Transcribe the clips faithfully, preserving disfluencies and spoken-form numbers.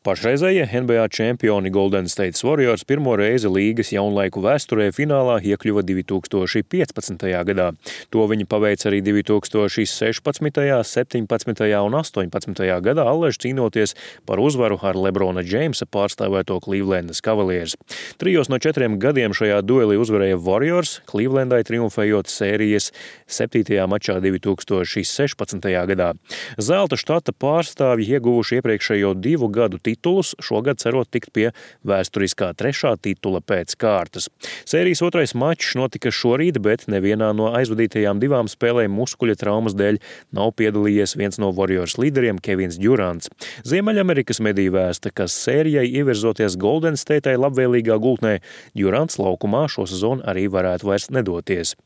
Pašreizējie N B A čempioni Golden State Warriors pirmo reizi līgas jaunlaiku vēsturē finālā iekļuva divi tūkstoši piecpadsmitajā gadā. To viņi paveica arī divi tūkstoši sešpadsmitajā, septiņpadsmitajā un astoņpadsmitajā gadā, allaž cīnoties par uzvaru ar Lebrona Jamesa pārstāvēto Clevelandas Cavaliers. Trijos no četriem gadiem šajā duelī uzvarēja Warriors, Clevelandai triumfējot sērijas septītajā mačā divi tūkstoši sešpadsmitajā gadā. Zelta štata pārstāvji ieguvuši iepriekšējo divu gadu titulus, šogad cerot tikt pie vēsturiskā trešā titula pēc kārtas. Sērijas otrais mačs notika šorīt, bet nevienā no aizvadītajām divām spēlēm muskuļa traumas dēļ nav piedalījies viens no Warriors līderiem Kevins Durants. Ziemeļamerikas mediju vēsta, ka sērijai ievirzoties Golden Stateai labvēlīgā gultnē, Durants laukumā šo sezonu arī varētu vairs nedoties.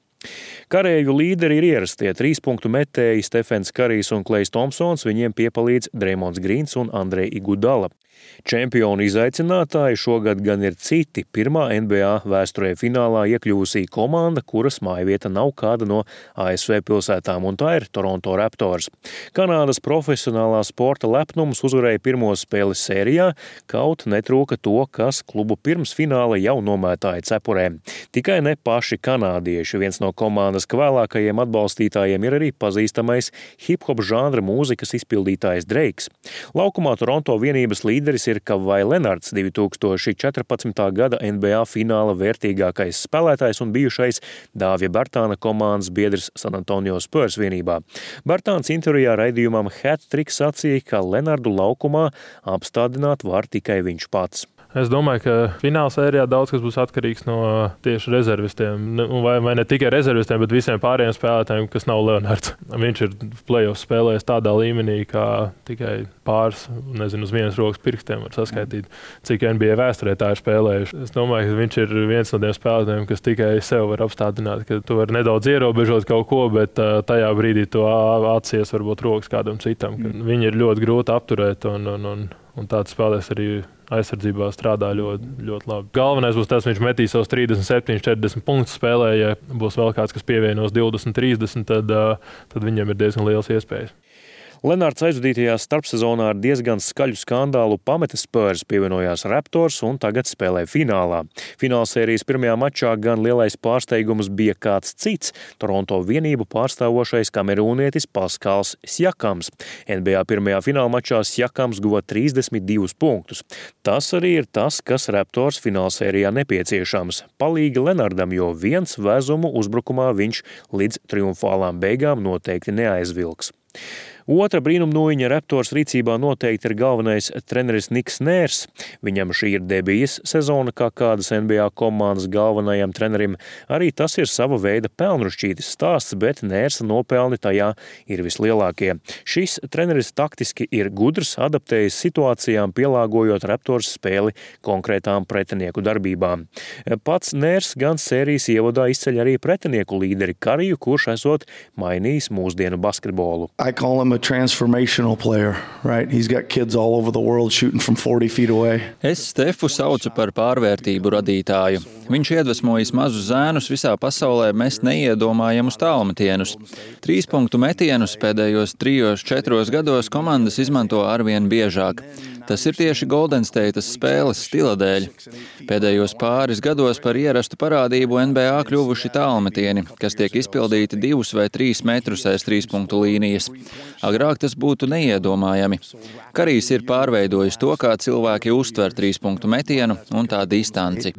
Karēju līderi ir ierastie trīspunktu metēji Stefens Karijs un Klejs Tomsons, viņiem piepalīdz Dreymonds Grīns un Andrej Igudala. Čempionu izaicinātāji šogad gan ir citi. Pirmā N B A vēsturē finālā iekļūsī komanda, kuras mājvieta nav kāda no A S V pilsētām, un tā ir Toronto Raptors. Kanādas profesionālā sporta lepnums uzvarēja pirmo spēli sērijā, kaut netrūka to, kas klubu pirms fināla jau nomētāja cepurēm. Tikai ne paši kanādieši. Viens no komandas kvēlākajiem atbalstītājiem ir arī pazīstamais hip-hop žanra mūzikas izpildītājs Dreiks. Laukumā Toronto vienības līderis ir Kavai Lenards, divi tūkstoši četrpadsmitā gada N B A fināla vērtīgākais spēlētājs un bijušais Dāvija Bertāna komandas biedrs San Antonio Spurs vienībā. Bertāns intervijā raidījumam Hat Trick sacīja, ka Lenardu laukumā apstādināt var tikai viņš pats. Es domāju, ka fināla sērijā daudz kas būs atkarīgs no tieši rezervistiem. Vai, vai ne tikai rezervistiem, bet visiem pārējiem spēlētājiem, kas nav Leonards. Viņš ir play-off spēlējis tādā līmenī, kā tikai pāris, nezinu, uz vienas rokas pirkstiem var saskaitīt, cik N B A vēsturē tā ir spēlējuši. Es domāju, ka viņš ir viens no tiem spēlētājiem, kas tikai sev var apstādināt, ka tu vari nedaudz ierobežot kaut ko, bet tajā brīdī tu atsies varbūt rokas kādam citam. Viņi ir ļoti grūti apturēt un, un, un, un tāds spēlēs arī aizsardzībā strādā ļoti, ļoti labi. Galvenais būs tas, viņš metīs savus trīsdesmit septiņus, četrdesmit punktus spēlē. Ja būs vēl kāds, kas pievienos divdesmit, trīsdesmit, tad, tad viņiem ir diezgan liels iespējas. Lenards aizvadītajā starpsezonā ar diezgan skaļu skandālu pameta Spurs, pievienojās Raptors un tagad spēlē finālā. Finālsērijas pirmajā mačā gan lielais pārsteigums bija kāds cits – Toronto vienību pārstāvošais kamerūnietis Paskals Sjakams. N B A pirmajā fināla mačā Sjakams guva trīsdesmit divus punktus. Tas arī ir tas, kas Raptors finālsērijā nepieciešams. Palīgi Lenardam, jo viens vezumu uzbrukumā viņš līdz triumfālām beigām noteikti neaizvilks. Otra brīnumnūjiņa Raptors rīcībā noteikti ir galvenais treneris Niks Nērs. Viņam šī ir debijas sezona kā kādas N B A komandas galvenajam trenerim. Arī tas ir sava veida pelnrušķītis stāsts, bet Nērsa nopelni tajā ir vislielākie. Šis treneris taktiski ir gudrs, adaptējis situācijām, pielāgojot Raptors spēli konkrētām pretinieku darbībām. Pats Nērs gan sērijas ievadā izceļ arī pretinieku līderi Kariju, kurš esot mainījis mūsdienu basketbolu. A transformational player, right? He's got kids all over the world shooting from forty feet away. Es Stefu saucu par pārvērtību radītāju. Viņš iedvesmojas mazus zēnus visā pasaulē mest neiedomājamus tālmetienus. Trīspunktu metienus pēdējos trijos, četros gados komandas izmanto arvien biežāk. Tas ir tieši Golden States spēles stila dēļ. Pēdējos pāris gados par ierastu parādību N B A kļuvuši tālmetieni, kas tiek izpildīti divus vai trīs metrus aiz trīspunktu līnijas. Agrāk tas būtu neiedomājami. Karijs ir pārveidojis to, kā cilvēki uztver trīspunktu metienu un tā distanci.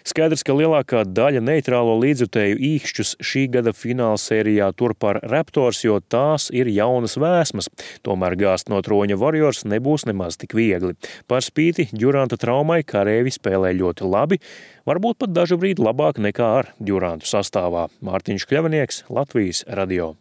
Skaidrs, ka lielākā daļa neitrālo līdzjutēju īkšķus šī gada finālsērijā tur par Raptors, jo tās ir jaunas vēsmas. Tomēr gāzt no troņa Warriors nebūs nemaz tik viegli. Par spīti Duranta traumai karēvi spēlē ļoti labi, varbūt pat dažu brīdi labāk nekā ar Durantu sastāvā. Mārtiņš Kļavinieks, Latvijas radio.